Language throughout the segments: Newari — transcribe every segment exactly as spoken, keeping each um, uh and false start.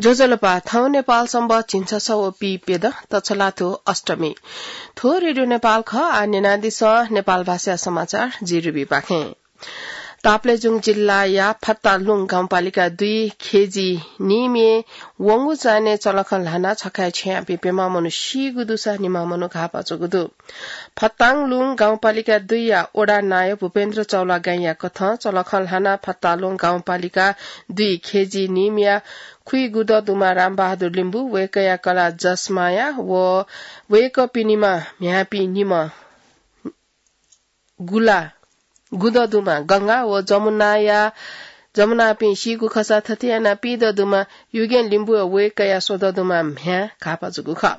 ज्वजलपा, थौं नेपाल संवत् झिंछसः व पीप्यदँ तछलाथ्व अष्टमी। थ्व रेडियो नेपाल खः। आः न्यनादिसँ नेपाल भाषाया समाचार, जि रुबी पाखें। ताप्लेजुङ जिल्लाया फत्तालुङ गाउँपालिका दुई खेजी निम्हय् वंगु चान्हय् चलखं ल्हानाः छखाय् छ्यंयापिं प्यम्ह मनू सीगु दुसा निम्ह मनू घाःपाः जूगु दु। फत्ताङलुङ गाउँपालिका दुईया वडा नायः भूपेन्द्र चौलागाईंया कथं चलखं ल्हानाः फत्तालुङ गाउँपालिका दुई खेजी निम्हया खुइगुदँ दुम्ह रामबहादुर लिम्बू, वय्कःया कलाः जसमाया व वय्कःपिनिम्ह म्ह्याय्पिं निम्ह गुला, गुदँ दुम्ह गंगा व जमुनाया, जमुनापिं सीगु खःसा थथे यानाः पीदँ दुम्ह युगेन लिम्बू व वय्कःया स्वदँ दुम्ह म्ह्याय् घाःपाः जूगु खः।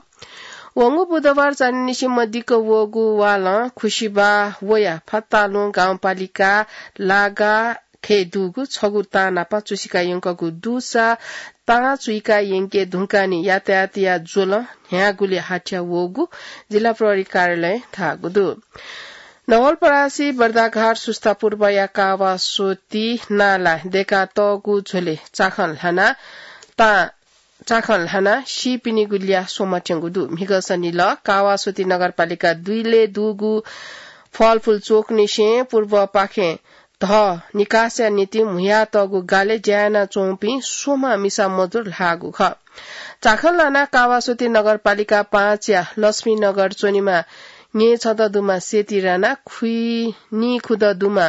वंगु बुधबार चान्हय्निसें मदिक्क वःगु वालं खुसिबाः वयाः फत्तालुङ गाउँपालिका लागाखय् दुगु छगू तां नाप चुसिका यंकूगु दुसा तां चुइका यंके धुंकाः निं यातायातया ज्वलं न्ह्यागुलिं हाथ्या वःगु जिल्ला प्रहरी कार्यालयं धाःगु दु। नवलपरासी, बर्दाघाट, सुस्ता पूर्वया कावास्वती नाला दय्कातःगु झ्वलय् चाखं ल्हानाः तां, चाखं ल्हानाः सीपिनिगु ल्याः स्वम्हत्यंगु दु। म्हिगः सनिलः कावास्वती नगरपालिका दुईलय् दुगु फलफुल चोकंनिसें पूर्वपाखें धः निकासया निंतिं म्हुयातःगु गालय् ज्या यानाच्वंपिं स्वम्ह मिसा मजदुर ल्हाःगु खः। चाखं ल्हानाः कावास्वती नगरपालिका पाँचया लक्ष्मीनगर च्वनेमाः न्येछदँ दुम्ह सेती राणा, खुइनिखुदँ दुम्ह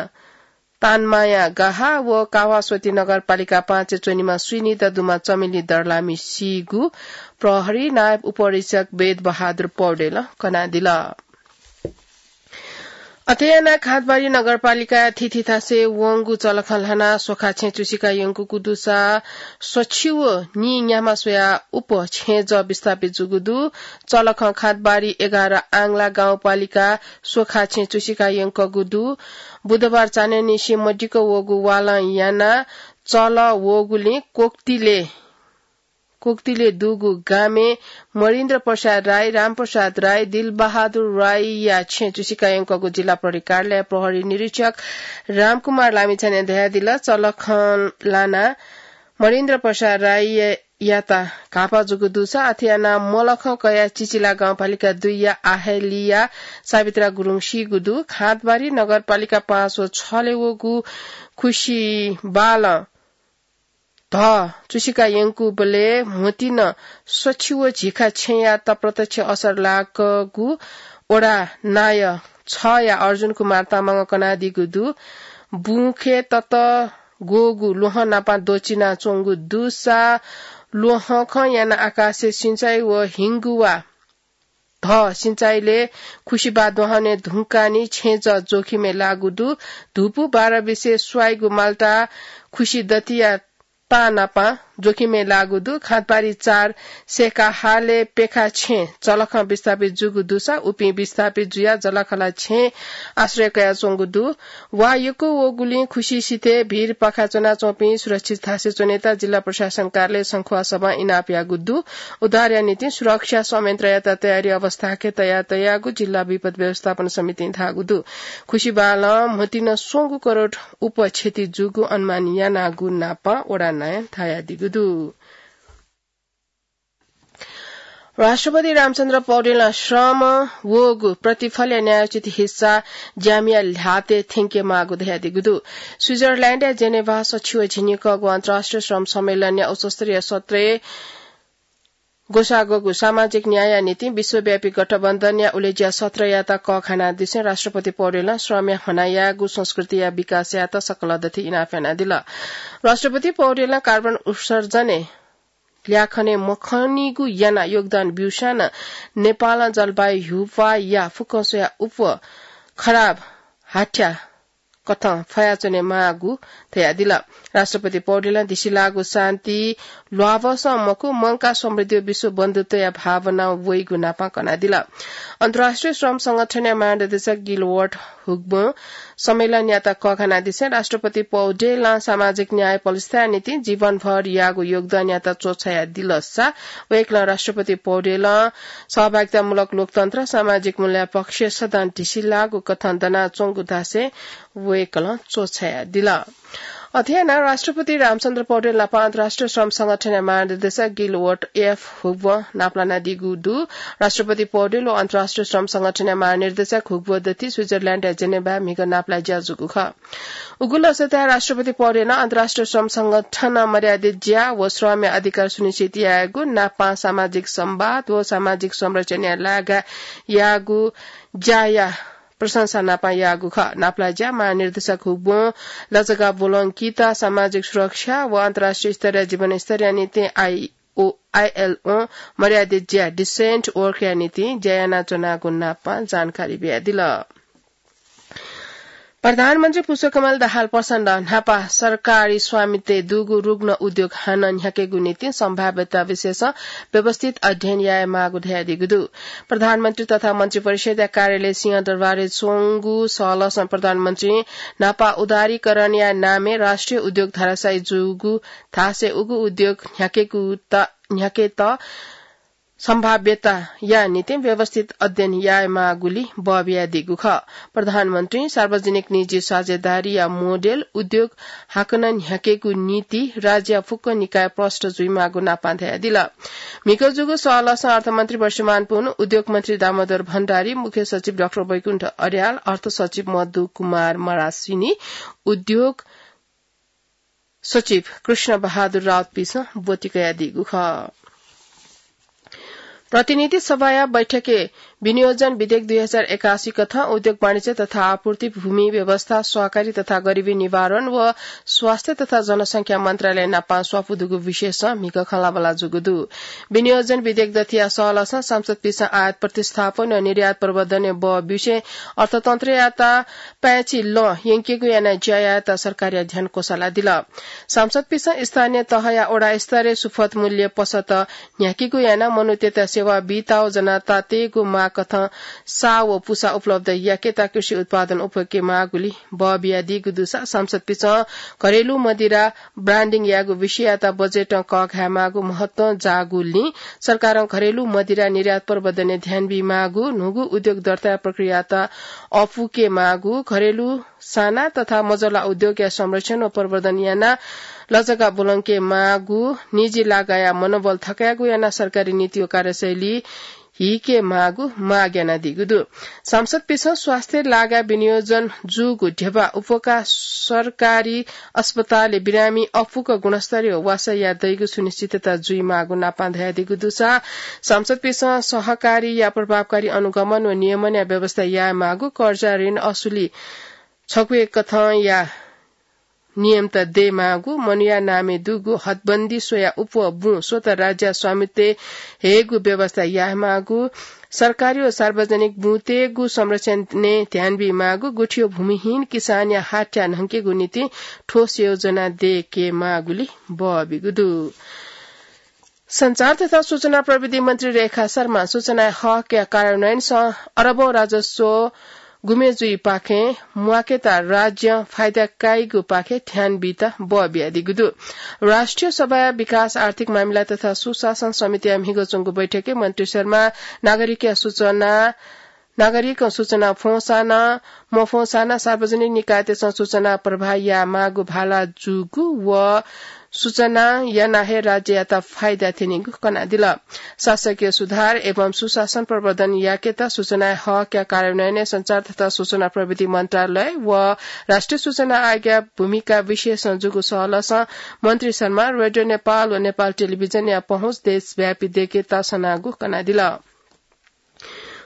तानमाया गाहा व कावास्वती नगरपालिका पाँचय् च्वनेमाः स्वीनिदँ दुम्ह चमेली दर्लामी सीगु प्रहरी नायब उपरीक्षक वेद बहादुर पौडेलं कनादिल। अथे यानाः खाँदबारी नगरपालिकाया थीथी थासय् वंगु चलखं ल्हानाः स्वखा छेँ चुसिका यंकूगु दुसा स्वछि व नीन्याम्ह स्वयाः उप छेँजः विस्थापित जूगु दु। चलखं खाँदबारी एघार आंग्ला गाउँपालिका स्वखा छेँ चुसिका यंकूगु दु। बुधबार चान्हय्निसें मदिक्क वःगु वालं यानाः चलः वःगुलिं कोक्तिले कोक्तिले दुगु गामय् मरिन्द्र प्रसाद राई, रामप्रसाद राई, दिलबहादुर राईया छेँ चुसिका यंकूगु जिल्ला प्रहरी कार्यालय प्रहरी निरीक्षक रामकुमार लामिछानें धयादिल। चलखं ल्हानाः मरिन्द्र प्रसाद राईयात घाःपाः जूगु दुसा अथे यानाः मलखं कयाः चिचिला गाउँपालिका दुईया आहेलिया सावित्रा गुरुङ सीगु दु। खाँदबारी नगरपालिका पाँच व छलय् वःगु खुसिबालं धः चुसिका यंकूबलय् म्हुतिनं स्वछि व झिखा छेँयात प्रत्यक्ष असर लाकूगु वडा नायः छया अर्जुन कुमार तामाङं कनादीगु दु। बुँखे ततग्वःगु ल्वहं नाप द्वःचिनाच्वंगु दुसा ल्वहंखं यानाः आकाशय् सिँचाइ व हिंगुवा धः सिँचाइलय् खुसिबाः दुहां वने धुंकाः निं छेँजः जोखिमय् लाःगु दु। धुपु बाह्र बिसे स्वाइगु माल्टा खुसिदँतिया तां नाप जोखिमय् लाःगु दु। खाँदबारी चार सेकाहालय् प्यखा छेँ चलखं विस्थापित जूगु दुसा उपिं विस्थापित जुयाः जलाखला छेँय् आश्रय कयाच्वंगु दु। वा यक्व वःगुलिं खुसि सिथय् भिरपाखा च्वनाच्वंपिं सुरक्षित थासय् च्वनेत जिल्ला प्रशासन कार्यालय शंखुवासभं इनाप याःगु दु। उद्धारया निंतिं सुरक्षा संयन्त्रयात तयारी अवस्थाय् तयातयागु जिल्ला विपद व्यवस्थापन समितिं धाःगु दु। खुसिबालं म्हुतिनं स्वंगू करोड उप क्षति जूगु अनुमान यानागु नाप वडा नायं धयादीगु दु। राष्ट्रपति रामचन्द्र पौडेलं श्रमं वःगु प्रतिफलया न्यायोचित हिस्सा ज्यामिया ल्हातय् थ्यंकेमाःगु धयादीगु दु। स्विजरल्याण्डया जेनेभा सछि व झिंनिकःगु अन्तर्राष्ट्रिय श्रम सम्मेलनया उच्चस्तरीय सत्रय् ग्वसाःगु सामाजिक न्यायया निंतिं विश्वव्यापी गठबन्धनया उलेज्या सत्रयात कःघानादिसें राष्ट्रपति पौडेलं श्रमया ह्वनाः यायेगु संस्कृतिया विकासयात सकल दथुइ इनाप यानादिल। राष्ट्रपति पौडेलं कार्बन उत्सर्जनय् ल्याखं मखनीगु यानाः योगदान ब्यूसां नं नेपालं जलवायु ह्यूपाःया फुक्कं स्वयाः उप खराब हाथ्या कथं फयाच्वनेमाःगु धयादिल। राष्ट्रपति पौडेलं दिसिलाःगु शान्ति ल्वाभःसं मखु, मंकाः समृद्धि व विश्व बन्धुत्वया भावनां वइगु नाप कनादिल। अन्तर्राष्ट्रिय श्रम संगठनया महानिर्देशक गिलवर्ट हुग्बों सम्मेलनयात कःघानादिसें राष्ट्रपति पौडेलं सामाजिक न्याय पलिस्थितिया निंतिं जीवनभर याःगु योगदानयात च्वछायादिलसा वय्कलं राष्ट्रपति पौडेलं सहभागितामूलक लोकतन्त्र, सामाजिक मूल्यया पक्षय् सदां ढिसिलाःगु कथं दनाच्वंगु धासें वय्कलं च्वछायादिल। अथे यानाः राष्ट्रपति रामचन्द्र पौडेल नाप अन्तर्राष्ट्रिय श्रम संगठनया महानिर्देशक गिलवर्ट एफ हुगबं नापलानादीगु दु। राष्ट्रपति पौडेल व अन्तर्राष्ट्रिय श्रम संगठनया महानिर्देशक हुगब दथि स्विजरल्याण्डया जेनेभाय् म्हिगः नापलाये ज्या जूगु खः। उगु लसताय् राष्ट्रपति पौडेलं अन्तर्राष्ट्रिय श्रम संगठनं मर्यादित ज्या व श्रमया अधिकार सुनिश्चित यायेगु, नापं सामाजिक संवाद व सामाजिक संरचनाया लागाय् याःगु ज्याया प्रशंसा नापं याःगु खः। नापलाये ज्या महानिर्देशक हुगबं लजगाः ब्वलंकीत सामाजिक सुरक्षा व अन्तर्राष्ट्रिय स्तरया जीवनस्तरया निंतिं आईओ, आईएलओ मर्यादित ज्या, decent work या निंतिं ज्या यानाच्वनागु नापं जानकारी बियादिल। प्रधानमन्त्री पुष्पकमल दाहाल प्रचण्डं न्हापा सरकारी स्वामित्वय् दुगु रुग्ण उद्योग हानं न्ह्याकेगु निंतिं सम्भाव्यता विषयसं व्यवस्थित अध्ययन यायेमाःगु धयादीगु दु। प्रधानमन्त्री तथा मन्त्रिपरिषदया कार्यालय सिंहदरबारय् च्वंगु सहलहसं प्रधानमन्त्रीं न्हापा उदारीकरणया नामय् राष्ट्रिय उद्योग धराशायी जूगु धासें उगु उद्योग न्ह्याकेगु त, न्ह्याकेत सम्भाव्यताया निंतिं व्यवस्थित अध्ययन यायेमाःगुली बः बियादीगु खः। प्रधानमन्त्रीं सार्वजनिक निजी साझेदारीया मोडेल उद्योग हाकनं न्ह्याकेगु नीति राज्यया फुक्क निकाय प्रष्ट जुइमाःगु नापं धयादिल। म्हिगः जूगु सहलहसं अर्थमन्त्री वर्षमान पुन, उद्योग मन्त्री दामोदर भण्डारी, मुख्य सचिव डाक्टर वैकुण्ठ अर्याल, अर्थ सचिव मधु कुमार मरासिनी, उद्योग सचिव कृष्ण बहादुर राउतपिसं ब्वति कयादीगु खः। प्रतिनिधि सभाया बैठकय् विनियोजन विधेयक दुई हजार एकासी कथं उद्योग, वाणिज्य तथा आपूर्ति, भूमि व्यवस्था, सहकारी तथा गरिबी निवारण व स्वास्थ्य तथा जनसंख्या मन्त्रालय नापं स्वापू दुगु विषयसं म्हिगः खँल्हाबल्हा जूगु दु। विनियोजन विधेयक दथिया सहलहसं सांसदपिसं आयात प्रतिस्थापन व निर्यात प्रवर्धनय् बः बिसें अर्थतन्त्रयात पाय्छि लँ यंकेगु यानाः ज्या यायेत सरकारया ध्यान क्वसालादिल। सांसदपिसं स्थानीय तहया वडा स्तरय् सुफल मूल्य पसःत न्ह्याकेगु यानाः मनूतय्त सेवा बीत व जनतातय्गु माग कथं सा व पुसा उपलब्ध याकेत कृषि उत्पादन उप्वके माःगुली बः बियादीगु दुसा सांसदपिसं घरेलु मदिरा branding यायेगु विषययात बजेटं कःघायेमाःगु महत्वं जाःगुलिं सरकारं घरेलु मदिरा निर्यात प्रवर्धनय् ध्यान बीमाःगु, न्हूगु उद्योग दर्ताया प्रक्रियात अःपुके माःगु, घरेलु साना तथा मझोला उद्योगया संरक्षण व प्रवर्धन यानाः लजगाः ब्वलंके माःगु, निजी लागाया मनोबल थकायेगु यानाः सरकारी नीति व कार्यशैली हीके माःगु माग यानादीगु दु। सांसदपिसं स्वास्थ्य लागा विनियोजन जूगु ध्यबा उपका सरकारी अस्पतालय् बिरामी अःपुक गुणस्तरीय वासः याये दइगु सुनिश्चितता जुइमाःगु नापं धयादीगु दुसा सांसदपिसं सहकारीया प्रभावकारी अनुगमन व नियमनया व्यवस्था यायेमाःगु, कर्जा ऋण असुली छकूया कथंया नियमत दयेमाःगु, मनूया नामय् दुगु हदबन्दी स्वयाः उप्वः बुँ स्वतः राज्य स्वामित्वय् हयेगु व्यवस्था यायेमाःगु, सरकारी व सार्वजनिक बुँतय्गु संरक्षणय् ध्यान बीमाःगु, गुथियो भूमिहीन किसानया हाथ्या न्हंकेगु निंतिं ठोस योजना दयेकेमाःगुली बः बीगु दु। सञ्चार तथा सूचना प्रविधि मन्त्री रेखा शर्मां सूचनाया हकया कार्यान्वयनसं अरबौं राजस्व गुमे जुइपाखें म्वाकेत राज्यं फाइदा काइगुपाखे ध्यान बीत बः बियादीगु दु। राष्ट्रिय सभाया विकास, आर्थिक मामिला तथा सुशासन समितिया म्हिगः च्वंगु बैठकय् मन्त्री शर्मां नागरिकया सूचना नागरिकं सूचना फ्वंसां नं मफ्वंसां नं सार्वजनिक निकायतय्सं सूचना प्रवाह यायेमाःगु भाला जूगु व सूचना यानाः हे राज्ययात फाइदा थ्यनीगु कनादिल। शासकीय सुधार एवं सुशासन प्रवर्धन याकेत सूचनाया हकया कार्यान्वयनय् सञ्चार तथा सूचना प्रविधि मन्त्रालय व राष्ट्रिय सूचना आयोगया भूमिका विषयसं जूगु सहलहसं मन्त्री शर्मां रेडियो नेपाल व नेपाल टेलिभिजनया पहुँच देशव्यापी दयेकेत सनागु कनादिल।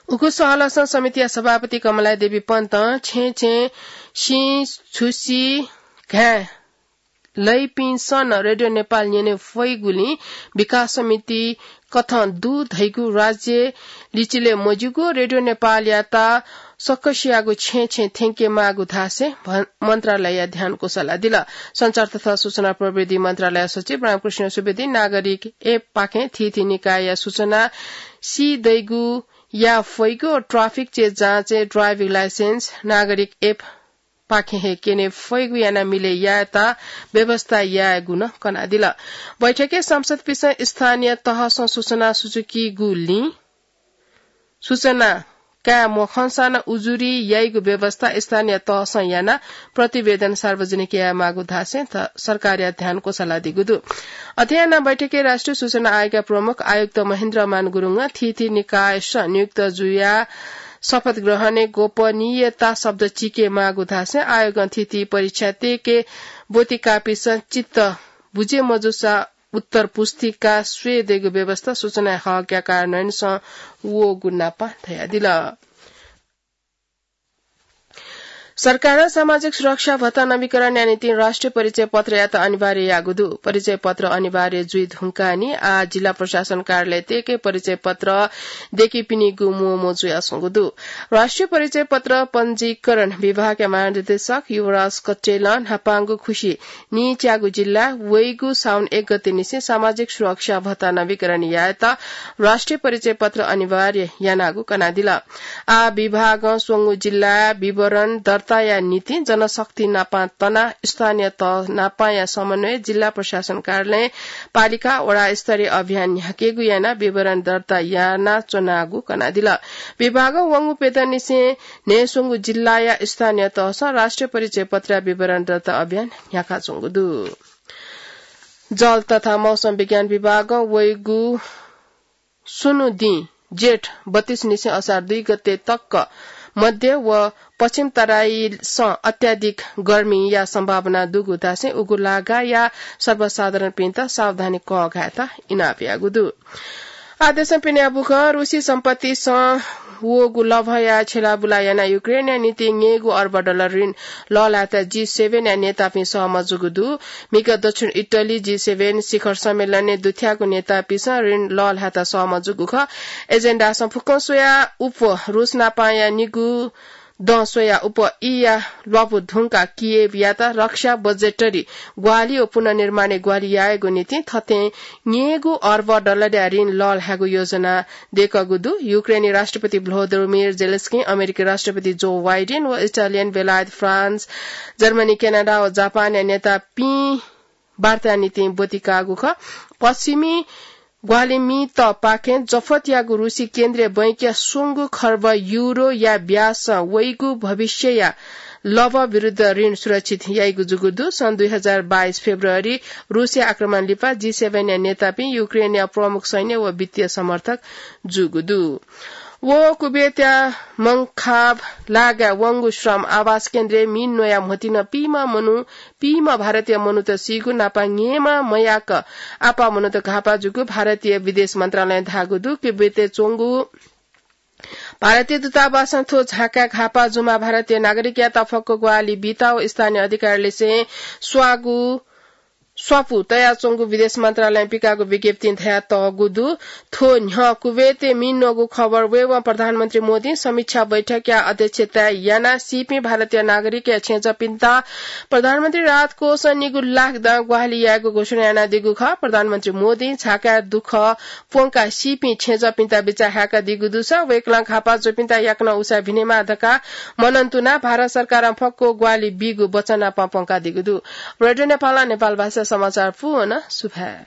उगु सहलहसं समितिया सभापति कमला देवी पन्तं छेँय् छेँय् सिँ, छुसी, घाँय् लइपिन्सं नं रेडियो नेपाल न्यने फइगुलिं विकास समिति कथं दु धइगु राज्य लिचिले मज्यूगु रेडियो नेपालयात सकसियागु छेँय् छेँय् थ्यंकेमाःगु धासें भ-, मन्त्रालयया ध्यान क्वसालादिल। सञ्चार तथा सूचना प्रविधि मन्त्रालय सचिव रामकृष्ण सुवेदीं नागरिक एप पाखें थीथी निकायया सूचना सी दइगु या फइगु व ट्राफिक चेक जाँचय् ड्राइभिङ लाइसेन्स नागरिक एप पाखें हे क्यने फइगु यानाः मिलय् यायेत व्यवस्था यायेगु नं कनादिल। बैठकय् सांसदपिसं स्थानीय तहसं सूचना सुचुकीगुलिं सूचना याये मखंसां नं उजुरी याइगु व्यवस्था स्थानीय तहसं यानाः प्रतिवेदन सार्वजनिक यायेमाःगु धासें सरकारया ध्यान क्वसालादीगु दु। अथे यानाः बैठकय् राष्ट्रिय सूचना आयोगया प्रमुख आयुक्त महेन्द्र मान गुरुङं थीथी निकायसं नियुक्त जुयाः शपथ ग्रहणय् गोपनीयता शब्द चिकेमाःगु धासें आयोगं थीथी परीक्षा तयेके ब्वति काःपिसं चित्त बुझे मजूसा उत्तर पुस्तिका स्वये दइगु व्यवस्था सूचना हकया कार्यान्वयनसं वःगु नापं धयादिल। सरकारं सामाजिक सुरक्षा भत्ता नवीकरणया निंतिं राष्ट्रिय परिचय पत्रयात अनिवार्य याःगु दु। परिचय पत्र अनिवार्य जुइ धुंकाः नि आः जिल्ला प्रशासन कार्यालय तयेके परिचय पत्र दय्‌कीपिनिगु म्वःम्वः जुयाच्वंगु दु। राष्ट्रिय परिचय पत्र पञ्जीकरण विभागया महानिर्देशक युवराज कट्टेलं न्हापांगु खुसि नीच्यागु जिल्ला वइगु साउन एक गते निसें सामाजिक सुरक्षा भत्ता नवीकरण यायेत राष्ट्रिय परिचय पत्र अनिवार्य यानागु कनादिल। आः विभागं स्वंगू जिल्ला विवरण दर्ताया निंतिं जनशक्ति नापं तनाः स्थानीय तह नापंया समन्वय जिल्ला प्रशासन कार्यालय, पालिका, वडा स्तरीय अभियान न्ह्याकेगु यानाः विवरण दर्ता यानाच्वनागु कनादिल। विभागं वंगु प्यदँनिसें न्हय्‌स्वंगू जिल्लाया स्थानीय तहसं राष्ट्रिय परिचय पत्रया विवरण दर्ता अभियान न्ह्याकाच्वंगु दु। जल तथा मौसम विज्ञान विभागं वइगु स्वन्हु दिं जेठ बत्तीस निसें असार दुई गते तक मध्य व पश्चिम तराईसं अत्याधिक गर्मीया सम्भावना दुगु धासें उगु लागाया सर्वसाधारणपिन्त सावधानी कःघायेत इनाप याःगु दु। आदेशं पिने बुखँ, रुसी सम्पत्तिसं वःगु लभया छेलाबुला यानाः युक्रेनया निंतिं न्यय्‌गू अर्ब डलर ऋण लःल्हायेत जी सेभेनया नेतापिं सहमत जूगु दु। म्हिगः दक्षिण इटली जी सेभेन शिखर सम्मेलनय् दुथ्याःगु नेतापिंसं ऋण लःल्हायेत सहमत जूगु खः। एजेन्डासं फुक्कं स्वयाः उप रुस नापांया निगू दँ स्वयाः उप ईया ल्वापु धुंकाः कियेवयात रक्षा बजेटरी ग्वाहालि व पुनर्निर्माणय् ग्वाहालि यायेगु निंतिं थथें न्यय्‌गू अर्ब डलरया ऋण लःल्हायेगु योजना दय्‌कूगु दु। युक्रेनी राष्ट्रपति भ्लोदिमिर जेलेन्स्की, अमेरिकी राष्ट्रपति जो बाइडेन व इटालियन, बेलायत, फ्रान्स, जर्मनी, क्यानाडा व जापानया नेतापिं वार्ताया निंतिं ब्वति काःगु खः। पश्चिमी ग्वाहालिमितपाखें जफतयागु रुसी केन्द्रीय बैंकया स्वंगू खर्ब युरोया ब्याजसं वइगु भविष्यया लभ विरुद्ध ऋण सुरक्षित याइगु जूगु दु। सन् दुई हजार बाइस फेब्रुअरी रुसया आक्रमण लिपा जी सेभेनया नेतापिं युक्रेनया प्रमुख सैन्य व वित्तीय समर्थक जूगु दु। व कुवेतया मंखाब लागाय् वंगु श्रम आवास केन्द्रय् मि न्वयाः म्होतिन पीम्ह मनू, पीम्ह भारतीय मनूत सीगु, नापं न्यय्‌म्ह मयाक आपाः मनूत घाःपाः जूगु भारतीय विदेश मन्त्रालयं धाःगु दु। कुवेतय् च्वंगु भारतीय दूतावासं थ्व झाँकाय् घाःपाः जूम्ह भारतीय नागरिकयात फक्व ग्वाहालि बीत व स्थानीय अधिकारीलिसें स्वापु तयाच्वंगु विदेश मन्त्रालयं पिकाःगु विज्ञप्तिं धयातःगु दु। थ्व न्ह्यः कुवेतय् मि न्वःगु खबर वयेवं प्रधानमन्त्री मोदीं समीक्षा बैठकया अध्यक्षता यानाः सीपिं भारतीय नागरिकया छेँजःपिन्त प्रधानमन्त्री राहत कोषं निगू लाख दां ग्वाहालि यायेगु घोषणा यानादीगु खः। प्रधानमन्त्री मोदीं झाँकाय् दुःख प्वंकाः सीपिं छेँजःपिन्त बिचाः हाय्‌कादीगु दुसा वय्‌कलं घाःपाः जूपिन्त याकनं उसाँय् भिनेमाः धकाः मनंतुनाः भारत सरकारं फक्व ग्वाहालि बीगु वचन नापं प्वंकादीगु दु। रेडियो नेपालं नेपाल भाषा समाचार पूवन सुभाय्।